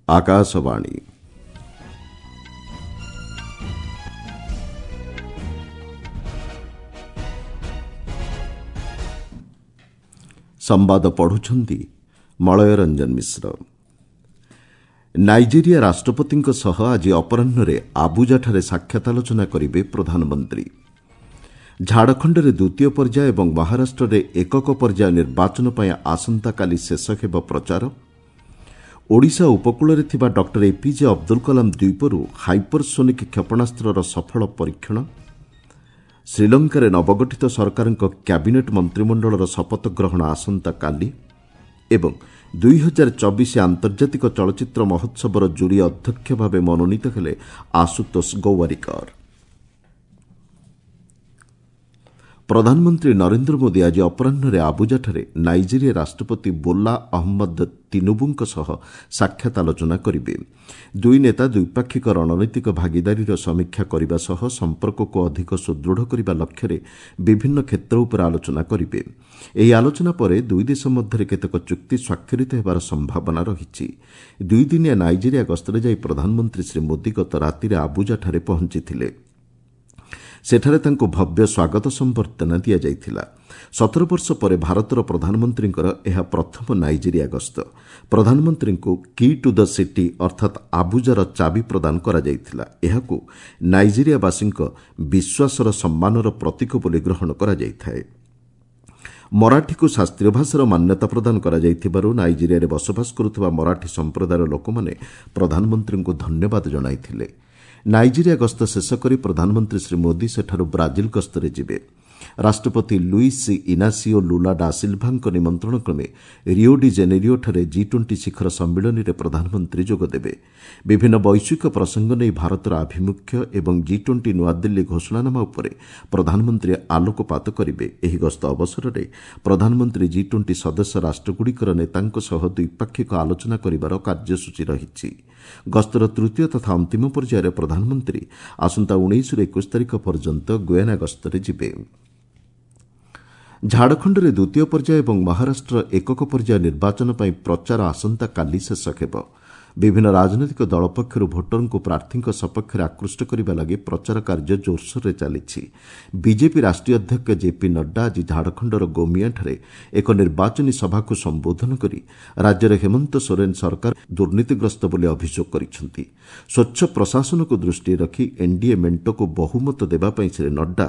ଆକାଶବାଣୀ। ସମ୍ବାଦ ପଢ଼ୁଛନ୍ତି ମଳୟ ରଞ୍ଜନ ମିଶ୍ର। ନାଇଜେରିଆ ରାଷ୍ଟ୍ରପତିଙ୍କ ସହ ଆଜି ଅପରାହ୍ନରେ ଆବୁଜାଠାରେ ସାକ୍ଷାତ ଆଲୋଚନା କରିବେ ପ୍ରଧାନମନ୍ତ୍ରୀ। ଝାଡ଼ଖଣ୍ଡରେ ଦ୍ୱିତୀୟ ପର୍ଯ୍ୟାୟ ଏବଂ ମହାରାଷ୍ଟ୍ରରେ ଏକକ ପର୍ଯ୍ୟାୟ ନିର୍ବାଚନ ପାଇଁ ଆସନ୍ତାକାଲି ଶେଷ ହେବ ପ୍ରଚାର। ଓଡ଼ିଶା ଉପକୂଳରେ ଥିବା ଡକ୍ଟର ଏପିଜେ ଅବଦୁଲ କଲାମ ଦ୍ୱୀପରୁ ହାଇପରସୋନିକ୍ କ୍ଷେପଣାସ୍ତ୍ରର ସଫଳ ପରୀକ୍ଷଣ। ଶ୍ରୀଲଙ୍କାରେ ନବଗଠିତ ସରକାରଙ୍କ କ୍ୟାବିନେଟ୍ ମନ୍ତ୍ରିମଣ୍ଡଳର ଶପଥ ଗ୍ରହଣ ଆସନ୍ତାକାଲି ଏବଂ 2024 ଆନ୍ତର୍ଜାତିକ ଚଳଚ୍ଚିତ୍ର ମହୋତ୍ସବର ଜୁରି ଅଧ୍ୟକ୍ଷ ଭାବେ ମନୋନୀତ ହେଲେ ଆଶୁତୋଷ ଗୌୱାରିକର। ପ୍ରଧାନମନ୍ତ୍ରୀ ନରେନ୍ଦ୍ର ମୋଦି ଆଜି ଅପରାହ୍ନରେ ଆବୁଜାଠାରେ ନାଇଜେରିଆ ରାଷ୍ଟ୍ରପତି ବୋଲା ଅହମ୍ମଦ ତିନୁବୁଙ୍କ ସହ ସାକ୍ଷାତ ଆଲୋଚନା କରିବେ। ଦୁଇ ନେତା ଦ୍ୱିପାକ୍ଷିକ ରଣନୈତିକ ଭାଗିଦାରୀର ସମୀକ୍ଷା କରିବା ସହ ସମ୍ପର୍କକୁ ଅଧିକ ସୁଦୃଢ଼ କରିବା ଲକ୍ଷ୍ୟରେ ବିଭିନ୍ନ କ୍ଷେତ୍ର ଉପରେ ଆଲୋଚନା କରିବେ। ଏହି ଆଲୋଚନା ପରେ ଦୁଇ ଦେଶ ମଧ୍ୟରେ କେତେକ ଚୁକ୍ତି ସ୍ୱାକ୍ଷରିତ ହେବାର ସମ୍ଭାବନା ରହିଛି। ଦୁଇଦିନିଆ ନାଇଜେରିଆ ଗସ୍ତରେ ଯାଇ ପ୍ରଧାନମନ୍ତ୍ରୀ ଶ୍ରୀ ମୋଦି ଗତ ରାତିରେ ଆବୁଜାଠାରେ ପହଞ୍ଚିଥିଲେ। ସେଠାରେ ତାଙ୍କୁ ଭବ୍ୟ ସ୍ୱାଗତ ସମ୍ବର୍ଦ୍ଧନା ଦିଆଯାଇଥିଲା। 17 ବର୍ଷ ପରେ ଭାରତର ପ୍ରଧାନମନ୍ତ୍ରୀଙ୍କର ଏହା ପ୍ରଥମ ନାଇଜେରିଆ ଗସ୍ତ। ପ୍ରଧାନମନ୍ତ୍ରୀଙ୍କୁ କି ଟୁ the city ଅର୍ଥାତ୍ ଆବୁଜାର ଚାବି ପ୍ରଦାନ କରାଯାଇଥିଲା। ଏହାକୁ ନାଇଜେରିଆବାସୀଙ୍କ ବିଶ୍ୱାସର ସମ୍ମାନର ପ୍ରତୀକ ବୋଲି ଗ୍ରହଣ କରାଯାଇଥାଏ। ମରାଠୀକୁ ଶାସ୍ତ୍ରୀୟ ଭାଷାର ମାନ୍ୟତା ପ୍ରଦାନ କରାଯାଇଥିବାରୁ ନାଇଜେରିଆରେ ବସବାସ କରୁଥିବା ମରାଠୀ ସମ୍ପ୍ରଦାୟର ଲୋକମାନେ ପ୍ରଧାନମନ୍ତ୍ରୀଙ୍କୁ ଧନ୍ୟବାଦ ଜଣାଇଥିଲେ। ନାଇଜେରିଆ ଗସ୍ତ ଶେଷ କରି ପ୍ରଧାନମନ୍ତ୍ରୀ ଶ୍ରୀ ମୋଦି ସେଠାରୁ ବ୍ରାଜିଲ ଗସ୍ତରେ ଯିବେ। ରାଷ୍ଟ୍ରପତି ଲୁଇସ୍ ଇନାସିଓ ଲୁଲା ଡା ସିଲ୍ଭାଙ୍କ ନିମନ୍ତ୍ରଣ କ୍ରମେ ରିଓ ଡି ଜେନେରିଓଠାରେ ଜି 20 ଶିଖର ସମ୍ମିଳନୀରେ ପ୍ରଧାନମନ୍ତ୍ରୀ ଯୋଗଦେବେ। ବିଭିନ୍ନ ବୈଶ୍ୱିକ ପ୍ରସଙ୍ଗ ନେଇ ଭାରତର ଆଭିମୁଖ୍ୟ ଏବଂ ଜି 20 ନୂଆଦିଲ୍ଲୀ ଘୋଷଣାନାମା ଉପରେ ପ୍ରଧାନମନ୍ତ୍ରୀ ଆଲୋକପାତ କରିବେ। ଏହି ଗସ୍ତ ଅବସରରେ ପ୍ରଧାନମନ୍ତ୍ରୀ ଜି 20 ସଦସ୍ୟ ରାଷ୍ଟ୍ରଗୁଡ଼ିକର ନେତାଙ୍କ ସହ ଦ୍ୱିପାକ୍ଷିକ ଆଲୋଚନା କରିବାର କାର୍ଯ୍ୟସୂଚୀ ରହିଛି। ଗସ୍ତର ତୃତୀୟ ତଥା ଅନ୍ତିମ ପର୍ଯ୍ୟାୟରେ ପ୍ରଧାନମନ୍ତ୍ରୀ ଆସନ୍ତା 19ରୁ 21 ତାରିଖ ପର୍ଯ୍ୟନ୍ତ ଗୁୟାନା ଗସ୍ତରେ ଯିବେ। ଝାଡ଼ଖଣ୍ଡରେ ଦ୍ୱିତୀୟ ପର୍ଯ୍ୟାୟ ଏବଂ ମହାରାଷ୍ଟ୍ର ଏକକ ପର୍ଯ୍ୟାୟ ନିର୍ବାଚନ ପାଇଁ ପ୍ରଚାର ଆସନ୍ତାକାଲି ଶେଷ ହେବ। ବିଭିନ୍ନ ରାଜନୈତିକ ଦଳ ପକ୍ଷରୁ ଭୋଟରଙ୍କୁ ପ୍ରାର୍ଥୀଙ୍କ ସପକ୍ଷରେ ଆକୃଷ୍ଟ କରିବା ଲାଗି ପ୍ରଚାର କାର୍ଯ୍ୟ ଜୋରସୋରରେ ଚାଲିଛି। ବିଜେପି ରାଷ୍ଟ୍ରୀୟ ଅଧ୍ୟକ୍ଷ ଜେପି ନଡ୍ଡା ଆଜି ଝାଡ଼ଖଣ୍ଡର ଗୋମିଆଠାରେ ଏକ ନିର୍ବାଚନୀ ସଭାକୁ ସମ୍ବୋଧନ କରି ରାଜ୍ୟରେ ହେମନ୍ତ ସୋରେନ ସରକାର ଦୁର୍ନୀତିଗ୍ରସ୍ତ ବୋଲି ଅଭିଯୋଗ କରିଛନ୍ତି। ସ୍ୱଚ୍ଛ ପ୍ରଶାସନକୁ ଦୃଷ୍ଟିରେ ରଖି ଏନ୍ଡିଏ ମେଣ୍ଟକୁ ବହୁମତ ଦେବା ପାଇଁ ଶ୍ରୀ ନଡ୍ଡା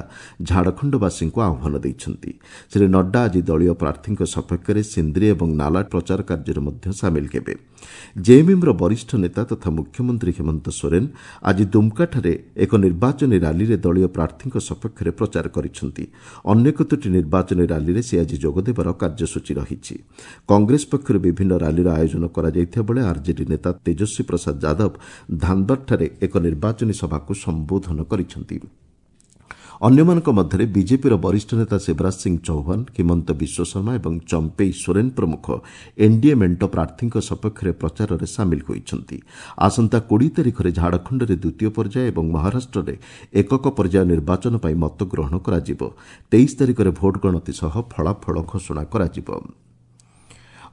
ଝାଡ଼ଖଣ୍ଡବାସୀଙ୍କୁ ଆହ୍ୱାନ ଦେଇଛନ୍ତି। ଶ୍ରୀ ନଡ୍ଡା ଆଜି ଦଳୀୟ ପ୍ରାର୍ଥୀଙ୍କ ସପକ୍ଷରେ ସିନ୍ଦ୍ରି ଏବଂ ନାଲା ପ୍ରଚାର କାର୍ଯ୍ୟରେ ମଧ୍ୟ ସାମିଲ ହେବେ। ଜେଏମ୍ଏମ୍ର ବରିଷ୍ଠ ନେତା ତଥା ମୁଖ୍ୟମନ୍ତ୍ରୀ ହେମନ୍ତ ସୋରେନ ଆଜି ଦୁମ୍କାଠାରେ ଏକ ନିର୍ବାଚନୀ ରାଲିରେ ଦଳୀୟ ପ୍ରାର୍ଥୀଙ୍କ ସପକ୍ଷରେ ପ୍ରଚାର କରିଛନ୍ତି। ଅନ୍ୟ କେତୋଟି ନିର୍ବାଚନୀ ରାଲିରେ ସେ ଆଜି ଯୋଗଦେବାର କାର୍ଯ୍ୟସୂଚୀ ରହିଛି। କଂଗ୍ରେସ ପକ୍ଷରୁ ବିଭିନ୍ନ ରାଲିର ଆୟୋଜନ କରାଯାଇଥିବା ବେଳେ ଆର୍ଜେଡି ନେତା ତେଜସ୍ୱୀ ପ୍ରସାଦ ଯାଦବ ଧାନବାଦଠାରେ ଏକ ନିର୍ବାଚନୀ ସଭାକୁ ସମ୍ବୋଧନ କରିଛନ୍ତି। ଅନ୍ୟମାନଙ୍କ ମଧ୍ୟରେ ବିଜେପିର ବରିଷ୍ଠ ନେତା ଶିବରାଜ ସିଂ ଚୌହାନ, ହିମନ୍ତ ବିଶ୍ୱଶର୍ମା ଏବଂ ଚମ୍ପେଇ ସୋରେନ ପ୍ରମୁଖ ଏନ୍ଡିଏ ମେଣ୍ଟ ପ୍ରାର୍ଥୀଙ୍କ ସପକ୍ଷରେ ପ୍ରଚାରରେ ସାମିଲ ହୋଇଛନ୍ତି। ଆସନ୍ତା 20 ତାରିଖରେ ଝାଡ଼ଖଣ୍ଡରେ ଦ୍ୱିତୀୟ ପର୍ଯ୍ୟାୟ ଏବଂ ମହାରାଷ୍ଟ୍ରରେ ଏକକ ପର୍ଯ୍ୟାୟ ନିର୍ବାଚନ ପାଇଁ ମତଗ୍ରହଣ କରାଯିବ। 23 ତାରିଖରେ ଭୋଟ ଗଣତି ସହ ଫଳାଫଳ ଘୋଷଣା କରାଯିବ।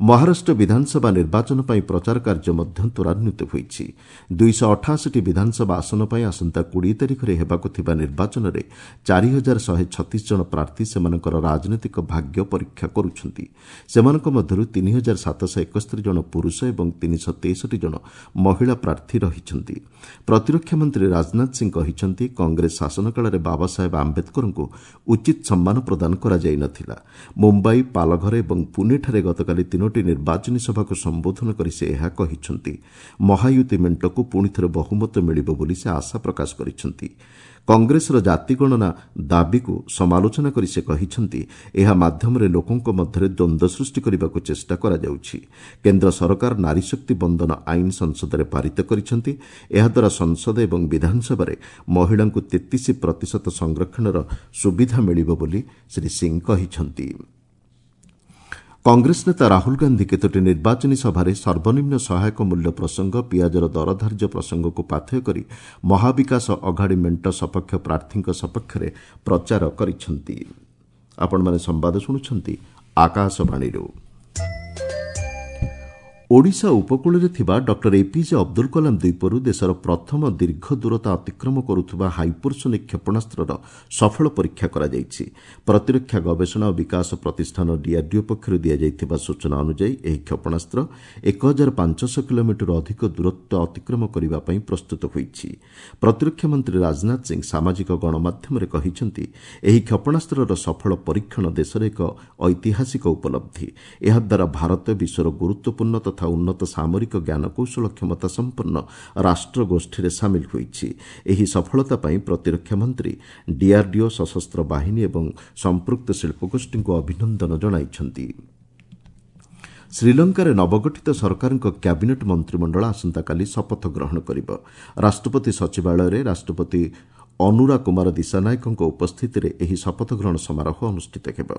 ମହାରାଷ୍ଟ୍ର ବିଧାନସଭା ନିର୍ବାଚନ ପାଇଁ ପ୍ରଚାର କାର୍ଯ୍ୟ ମଧ୍ୟ ତ୍ୱରାନ୍ୱିତ ହୋଇଛି। 288ଟି ବିଧାନସଭା ଆସନ ପାଇଁ ଆସନ୍ତା 20 ତାରିଖରେ ହେବାକୁ ଥିବା ନିର୍ବାଚନରେ 4136 ଜଣ ପ୍ରାର୍ଥୀ ସେମାନଙ୍କର ରାଜନୈତିକ ଭାଗ୍ୟ ପରୀକ୍ଷା କରୁଛନ୍ତି। ସେମାନଙ୍କ ମଧ୍ୟରୁ 3771 ଜଣ ପୁରୁଷ ଏବଂ 363 ଜଣ ମହିଳା ପ୍ରାର୍ଥୀ ରହିଛନ୍ତି। ପ୍ରତିରକ୍ଷା ମନ୍ତ୍ରୀ ରାଜନାଥ ସିଂ କହିଛନ୍ତି, କଂଗ୍ରେସ ଶାସନ କାଳରେ ବାବାସାହେବ ଆମ୍ବେଦକରଙ୍କୁ ଉଚିତ ସମ୍ମାନ ପ୍ରଦାନ କରାଯାଇ ନଥିଲା। ମୁମ୍ବାଇ, ପାଲଘର ଏବଂ ପୁନେଠାରେ ଗତକାଲି ତିନୋଟି ନିର୍ବାଚନୀ ସଭାକୁ ସମ୍ବୋଧନ କରି ସେ ଏହା କହିଛନ୍ତି। ମହାୟୁତି ମେଣ୍ଟକୁ ପୁଣିଥରେ ବହୁମତ ମିଳିବ ବୋଲି ସେ ଆଶା ପ୍ରକାଶ କରିଛନ୍ତି। କଂଗ୍ରେସର ଜାତିଗଣନା ଦାବିକୁ ସମାଲୋଚନା କରି ସେ କହିଛନ୍ତି, ଏହା ମାଧ୍ୟମରେ ଲୋକଙ୍କ ମଧ୍ୟରେ ଦ୍ୱନ୍ଦ୍ୱ ସୃଷ୍ଟି କରିବାକୁ ଚେଷ୍ଟା କରାଯାଉଛି। କେନ୍ଦ୍ର ସରକାର ନାରୀଶକ୍ତି ବନ୍ଦନ ଆଇନ ସଂସଦରେ ପାରିତ କରିଛନ୍ତି। ଏହାଦ୍ୱାରା ସଂସଦ ଏବଂ ବିଧାନସଭାରେ ମହିଳାଙ୍କୁ 33% ସଂରକ୍ଷଣର ସୁବିଧା ମିଳିବ ବୋଲି ଶ୍ରୀ ସିଂ କହିଛନ୍ତି। କଂଗ୍ରେସ ନେତା ରାହୁଲ ଗାନ୍ଧି କେତୋଟି ନିର୍ବାଚନୀ ସଭାରେ ସର୍ବନିମ୍ନ ସହାୟକ ମୂଲ୍ୟ ପ୍ରସଙ୍ଗ, ପିଆଜର ଦର ଧାର୍ଯ୍ୟ ପ୍ରସଙ୍ଗକୁ ପାଥେୟ କରି ମହାବିକାଶ ଅଘାଡ଼ି ମେଣ୍ଟ ସପକ୍ଷ ପ୍ରାର୍ଥୀଙ୍କ ସପକ୍ଷରେ ପ୍ରଚାର କରିଛନ୍ତି। ଆପଣମାନେ ସମ୍ବାଦ ଶୁଣୁଛନ୍ତି ଆକାଶବାଣୀରୁ। ଓଡ଼ିଶା ଉପକୂଳରେ ଥିବା ଡକ୍ଟର ଏପିଜେ ଅବଦୁଲ କଲାମ ଦ୍ୱୀପରୁ ଦେଶର ପ୍ରଥମ ଦୀର୍ଘ ଦୂରତା ଅତିକ୍ରମ କରୁଥିବା ହାଇପରସୋନିକ୍ କ୍ଷେପଣାସ୍ତ୍ରର ସଫଳ ପରୀକ୍ଷା କରାଯାଇଛି। ପ୍ରତିରକ୍ଷା ଗବେଷଣା ଓ ବିକାଶ ପ୍ରତିଷ୍ଠାନ ଡିଆର୍ଡିଓ ପକ୍ଷରୁ ଦିଆଯାଇଥିବା ସୂଚନା ଅନୁଯାୟୀ ଏହି କ୍ଷେପଣାସ୍ତ୍ର 1500 କିଲୋମିଟରରୁ ଅଧିକ ଦୂରତ୍ୱ ଅତିକ୍ରମ କରିବା ପାଇଁ ପ୍ରସ୍ତୁତ ହୋଇଛି। ପ୍ରତିରକ୍ଷା ମନ୍ତ୍ରୀ ରାଜନାଥ ସିଂ ସାମାଜିକ ଗଣମାଧ୍ୟମରେ କହିଛନ୍ତି, ଏହି କ୍ଷେପଣାସ୍ତ୍ରର ସଫଳ ପରୀକ୍ଷଣ ଦେଶର ଏକ ଐତିହାସିକ ଉପଲବ୍ଧି। ଏହାଦ୍ୱାରା ଭାରତ ବିଶ୍ୱର ଗୁରୁତ୍ୱପୂର୍ଣ୍ଣ ତଥା ଉନ୍ନତ ସାମରିକ ଜ୍ଞାନକୌଶଳ କ୍ଷମତା ସମ୍ପନ୍ନ ରାଷ୍ଟ୍ରଗୋଷ୍ଠୀରେ ସାମିଲ ହୋଇଛି। ଏହି ସଫଳତା ପାଇଁ ପ୍ରତିରକ୍ଷା ମନ୍ତ୍ରୀ ଡିଆର୍ଡିଓ, ସଶସ୍ତ୍ର ବାହିନୀ ଏବଂ ସମ୍ପୃକ୍ତ ଶିଳ୍ପଗୋଷ୍ଠୀଙ୍କୁ ଅଭିନନ୍ଦନ ଜଣାଇଛନ୍ତି। ଶ୍ରୀଲଙ୍କାରେ ନବଗଠିତ ସରକାରଙ୍କ କ୍ୟାବିନେଟ୍ ମନ୍ତ୍ରିମଣ୍ଡଳ ଆସନ୍ତାକାଲି ଶପଥ ଗ୍ରହଣ କରିବ। ରାଷ୍ଟ୍ରପତି ସଚିବାଳୟରେ ରାଷ୍ଟ୍ରପତି ଅନୁରା କୁମାର ଦିଶାନାୟକଙ୍କ ଉପସ୍ଥିତିରେ ଏହି ଶପଥ ଗ୍ରହଣ ସମାରୋହ ଅନୁଷ୍ଠିତ ହେବ।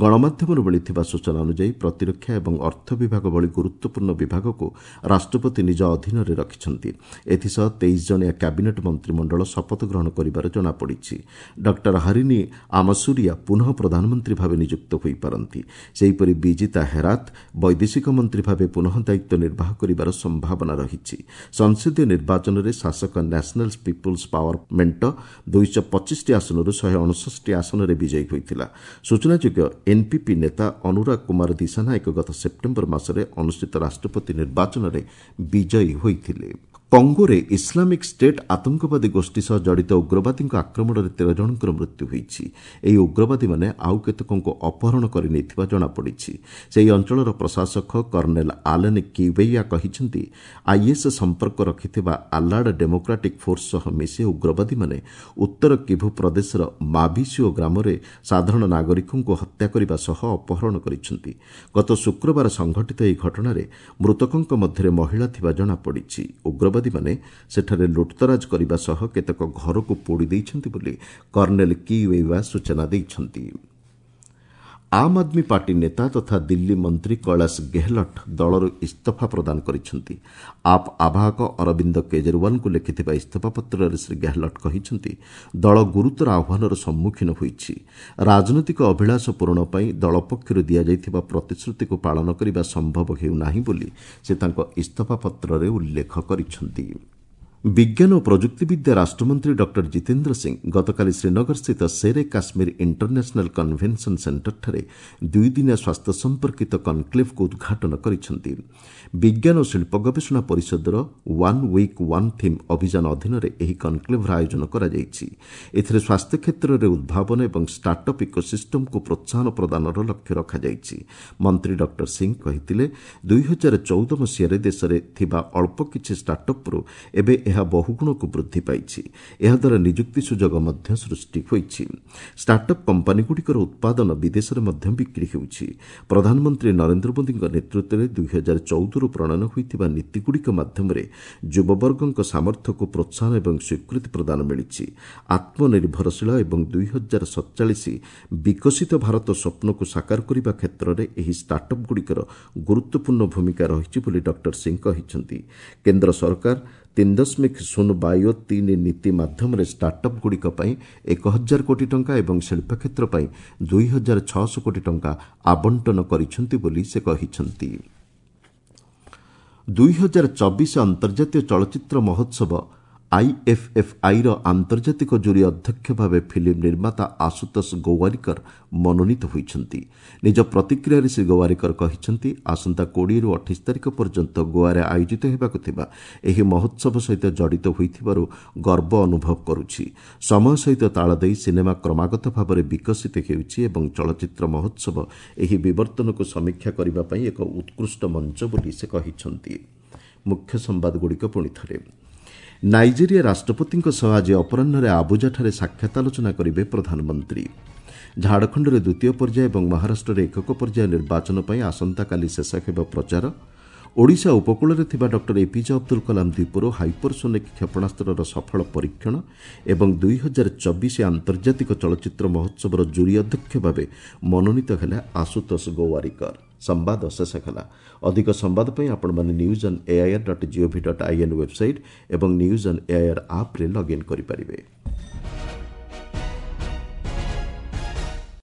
ଗଣମାଧ୍ୟମରୁ ମିଳିଥିବା ସୂଚନା ଅନୁଯାୟୀ ପ୍ରତିରକ୍ଷା ଏବଂ ଅର୍ଥ ବିଭାଗ ଭଳି ଗୁରୁତ୍ୱପୂର୍ଣ୍ଣ ବିଭାଗକୁ ରାଷ୍ଟ୍ରପତି ନିଜ ଅଧୀନରେ ରଖିଛନ୍ତି। ଏଥିସହ 23 ଜଣିଆ କ୍ୟାବିନେଟ୍ ମନ୍ତ୍ରିମଣ୍ଡଳ ଶପଥ ଗ୍ରହଣ କରିବାର ଜଣାପଡ଼ିଛି। ଡକ୍ଟର ହରିଣୀ ଆମସୁରିଆ ପୁନଃ ପ୍ରଧାନମନ୍ତ୍ରୀ ଭାବେ ନିଯୁକ୍ତ ହୋଇପାରନ୍ତି। ସେହିପରି ବିଜିତା ହେରାତ ବୈଦେଶିକ ମନ୍ତ୍ରୀ ଭାବେ ପୁନଃ ଦାୟିତ୍ୱ ନିର୍ବାହ କରିବାର ସମ୍ଭାବନା ରହିଛି। ସଂସଦୀୟ ନିର୍ବାଚନରେ ଶାସକ ନ୍ୟାସନାଲ୍ ପିପୁଲ୍ସ ପାୱାର ମେଣ୍ଟ 225ଟି ଆସନରୁ 159ଟି ଆସନରେ ବିଜୟୀ ହୋଇଥିଲା। ସୂଚନାଯୋଗ୍ୟ, ଏନ୍ପିପି ନେତା ଅନୁରାଗ କୁମାର ଦିଶାନାୟକ ଗତ ସେପ୍ଟେମ୍ବର ମାସରେ ଅନୁଷ୍ଠିତ ରାଷ୍ଟ୍ରପତି ନିର୍ବାଚନରେ ବିଜୟୀ ହୋଇଥିଲେ। କଙ୍ଗୋରେ ଇସଲାମିକ୍ ଷ୍ଟେଟ୍ ଆତଙ୍କବାଦୀ ଗୋଷ୍ଠୀ ସହ ଜଡ଼ିତ ଉଗ୍ରବାଦୀଙ୍କ ଆକ୍ରମଣରେ 13 ଜଣଙ୍କର ମୃତ୍ୟୁ ହୋଇଛି। ଏହି ଉଗ୍ରବାଦୀମାନେ ଆଉ କେତେକଙ୍କୁ ଅପହରଣ କରିନେଇଥିବା ଜଣାପଡ଼ିଛି। ସେହି ଅଞ୍ଚଳର ପ୍ରଶାସକ କର୍ଣ୍ଣେଲ ଆଲେନ୍ କିୱେୟା କହିଛନ୍ତି, is ସମ୍ପର୍କ ରଖିଥିବା ଆଲାଡ୍ ଡେମୋକ୍ରାଟିକ୍ ଫୋର୍ସ ସହ ମିଶି ଉଗ୍ରବାଦୀମାନେ ଉତ୍ତର କିଭୁ ପ୍ରଦେଶର ମାଭିସିଓ ଗ୍ରାମରେ ସାଧାରଣ ନାଗରିକଙ୍କୁ ହତ୍ୟା କରିବା ସହ ଅପହରଣ କରିଛନ୍ତି। ଗତ ଶୁକ୍ରବାର ସଂଘଟିତ ଏହି ଘଟଣାରେ ମୃତକଙ୍କ ମଧ୍ୟରେ ମହିଳା ଥିବା ଜଣାପଡ଼ିଛି। ଉଗ୍ରବାଦୀମାନେ ସେଠାରେ ଲୁଟ୍ତରାଜ କରିବା ସହ କେତେକ ଘରକୁ ପୋଡ଼ି ଦେଇଛନ୍ତି ବୋଲି କର୍ଣ୍ଣେଲ କିୱେୟା ସୂଚନା ଦେଇଛନ୍ତି। ଆମ୍ ଆଦମୀ ପାର୍ଟି ନେତା ତଥା ଦିଲ୍ଲୀ ମନ୍ତ୍ରୀ କୈଳାସ ଗେହଲଟ୍ ଦଳରୁ ଇସ୍ତଫା ପ୍ରଦାନ କରିଛନ୍ତି। ଆପ୍ ଆବାହକ ଅରବିନ୍ଦ କେଜରିୱାଲଙ୍କୁ ଲେଖିଥିବା ଇସ୍ତଫାପତ୍ରରେ ଶ୍ରୀ ଗେହଲଟ୍ କହିଛନ୍ତି, ଦଳ ଗୁରୁତର ଆହ୍ୱାନର ସମ୍ମୁଖୀନ ହୋଇଛି। ରାଜନୈତିକ ଅଭିଳାଷ ପୂରଣ ପାଇଁ ଦଳ ପକ୍ଷରୁ ଦିଆଯାଇଥିବା ପ୍ରତିଶ୍ରୁତିକୁ ପାଳନ କରିବା ସମ୍ଭବ ହେଉନାହିଁ ବୋଲି ସେ ତାଙ୍କ ଇସ୍ତଫାପତ୍ରରେ ଉଲ୍ଲେଖ କରିଛନ୍ତି। ବିଜ୍ଞାନ ଓ ପ୍ରଯୁକ୍ତିବିଦ୍ୟା ରାଷ୍ଟ୍ରମନ୍ତ୍ରୀ ଡକ୍ଟର ଜିତେନ୍ଦ୍ର ସିଂ ଗତକାଲି ଶ୍ରୀନଗରସ୍ଥିତ ଶେର୍ ଏ କାଶ୍ମୀର ଇଣ୍ଟରନ୍ୟାସନାଲ୍ କନଭେନସନ୍ ସେଣ୍ଟରଠାରେ ଦୁଇଦିନିଆ ସ୍ୱାସ୍ଥ୍ୟ ସମ୍ପର୍କିତ କନକ୍ଲେଭ୍କୁ ଉଦ୍ଘାଟନ କରିଛନ୍ତି। ବିଜ୍ଞାନ ଓ ଶିଳ୍ପ ଗବେଷଣା ପରିଷଦର ୱାନ୍ ୱିକ୍ ୱାନ୍ ଥିମ୍ ଅଭିଯାନ ଅଧୀନରେ ଏହି କନକ୍ଲେଭ୍ର ଆୟୋଜନ କରାଯାଇଛି। ଏଥିରେ ସ୍ୱାସ୍ଥ୍ୟ କ୍ଷେତ୍ରରେ ଉଦ୍ଭାବନ ଏବଂ ଷ୍ଟାର୍ଟଅପ୍ ଇକୋସିଷ୍ଟମକୁ ପ୍ରୋତ୍ସାହନ ପ୍ରଦାନର ଲକ୍ଷ୍ୟ ରଖାଯାଇଛି। ମନ୍ତ୍ରୀ ଡକ୍ଟର ସିଂ କହିଥିଲେ, 2014 ମସିହାରେ ଦେଶରେ ଥିବା ଅଳ୍ପ କିଛି ଷ୍ଟାର୍ଟଅପ୍ରୁ ଏବେ ଏହା ବହୁଗୁଣକୁ ବୃଦ୍ଧି ପାଇଛି। ଏହାଦ୍ୱାରା ନିଯୁକ୍ତି ସୁଯୋଗ ମଧ୍ୟ ସୃଷ୍ଟି ହୋଇଛି। ଷ୍ଟାର୍ଟଅପ୍ କମ୍ପାନୀଗୁଡ଼ିକର ଉତ୍ପାଦନ ବିଦେଶରେ ମଧ୍ୟ ବିକ୍ରି ହେଉଛି। ପ୍ରଧାନମନ୍ତ୍ରୀ ନରେନ୍ଦ୍ର ମୋଦିଙ୍କ ନେତୃତ୍ୱରେ 2014ରୁ ପ୍ରଣୟନ ହୋଇଥିବା ନୀତିଗୁଡ଼ିକ ମାଧ୍ୟମରେ ଯୁବବର୍ଗଙ୍କ ସାମର୍ଥ୍ୟକୁ ପ୍ରୋତ୍ସାହନ ଏବଂ ସ୍ୱୀକୃତି ପ୍ରଦାନ ମିଳିଛି। ଆତ୍ମନିର୍ଭରଶୀଳ ଏବଂ 2047 ବିକଶିତ ଭାରତ ସ୍ୱପ୍ନକୁ ସାକାର କରିବା କ୍ଷେତ୍ରରେ ଏହି ଷ୍ଟାର୍ଟଅପ୍ଗୁଡ଼ିକର ଗୁରୁତ୍ୱପୂର୍ଣ୍ଣ ଭୂମିକା ରହିଛି ବୋଲି ଡକ୍ଟର ସିଂ କହିଛନ୍ତି। କେନ୍ଦ୍ର ସରକାର 3.0 ବାୟୋ 3 ନୀତି ମାଧ୍ୟମରେ ଷ୍ଟାର୍ଟଅପ୍ଗୁଡ଼ିକ ପାଇଁ 1000 କୋଟି ଟଙ୍କା ଏବଂ ଶିଳ୍ପ କ୍ଷେତ୍ର ପାଇଁ 2600 କୋଟି ଟଙ୍କା ଆବଣ୍ଟନ କରିଛନ୍ତି ବୋଲି ସେ କହିଛନ୍ତି। 2024 ଅନ୍ତର୍ଜାତୀୟ ଚଳଚ୍ଚିତ୍ର ମହୋତ୍ସବ ଆଇଏଫ୍ଏଫ୍ଆଇର ଆନ୍ତର୍ଜାତିକ ଜୁରି ଅଧ୍ୟକ୍ଷ ଭାବେ ଫିଲ୍ମ ନିର୍ମାତା ଆଶୁତୋଷ ଗୋୱାରିକର ମନୋନୀତ ହୋଇଛନ୍ତି। ନିଜ ପ୍ରତିକ୍ରିୟାରେ ଶ୍ରୀ ଗୋୱାରିକର କହିଛନ୍ତି, ଆସନ୍ତା 20ରୁ 28 ତାରିଖ ପର୍ଯ୍ୟନ୍ତ ଗୋଆରେ ଆୟୋଜିତ ହେବାକୁ ଥିବା ଏହି ମହୋତ୍ସବ ସହିତ ଜଡ଼ିତ ହୋଇଥିବାରୁ ଗର୍ବ ଅନୁଭବ କରୁଛି। ସମୟ ସହିତ ତାଳ ଦେଇ ସିନେମା କ୍ରମାଗତ ଭାବରେ ବିକଶିତ ହେଉଛି ଏବଂ ଚଳଚ୍ଚିତ୍ର ମହୋତ୍ସବ ଏହି ବିବର୍ତ୍ତନକୁ ସମୀକ୍ଷା କରିବା ପାଇଁ ଏକ ଉତ୍କୃଷ୍ଟ ମଞ୍ଚ ବୋଲି ସେ କହିଛନ୍ତି। ମୁଖ୍ୟ ସମ୍ବାଦଗୁଡ଼ିକ ପୁଣି ଥରେ। ନାଇଜେରିଆ ରାଷ୍ଟ୍ରପତିଙ୍କ ସହ ଆଜି ଅପରାହ୍ନରେ ଆବୁଜାଠାରେ ସାକ୍ଷାତ ଆଲୋଚନା କରିବେ ପ୍ରଧାନମନ୍ତ୍ରୀ। ଝାଡ଼ଖଣ୍ଡରେ ଦ୍ୱିତୀୟ ପର୍ଯ୍ୟାୟ ଏବଂ ମହାରାଷ୍ଟ୍ରରେ ଏକକ ପର୍ଯ୍ୟାୟ ନିର୍ବାଚନ ପାଇଁ ଆସନ୍ତାକାଲି ଶେଷ ହେବ ପ୍ରଚାର। ଓଡ଼ିଶା ଉପକୂଳରେ ଥିବା ଡକ୍ଟର ଏପିଜେ ଅବଦୁଲ କଲାମ ଦ୍ୱୀପରୁ ହାଇପରସୋନିକ୍ କ୍ଷେପଣାସ୍ତ୍ରର ସଫଳ ପରୀକ୍ଷଣ ଏବଂ 2024 ଆନ୍ତର୍ଜାତିକ ଚଳଚ୍ଚିତ୍ର ମହୋତ୍ସବର ଜୁରି ଅଧ୍ୟକ୍ଷ ଭାବେ ମନୋନୀତ ହେଲେ ଆଶୁତୋଷ ଗୋୱାରିକର। ସମ୍ବାଦ ଶେଷ ହେଲା। ଅଧିକ ସମ୍ବାଦ ପାଇଁ ଆପଣମାନେ news on AIR dot GOV dot IN website ଏବଂ ନ୍ୟୁଜ୍ ଅନ୍ ଏଆଇଆର୍ ଆପ୍ରେ ଲଗ୍ଇନ୍ କରିପାରିବେ।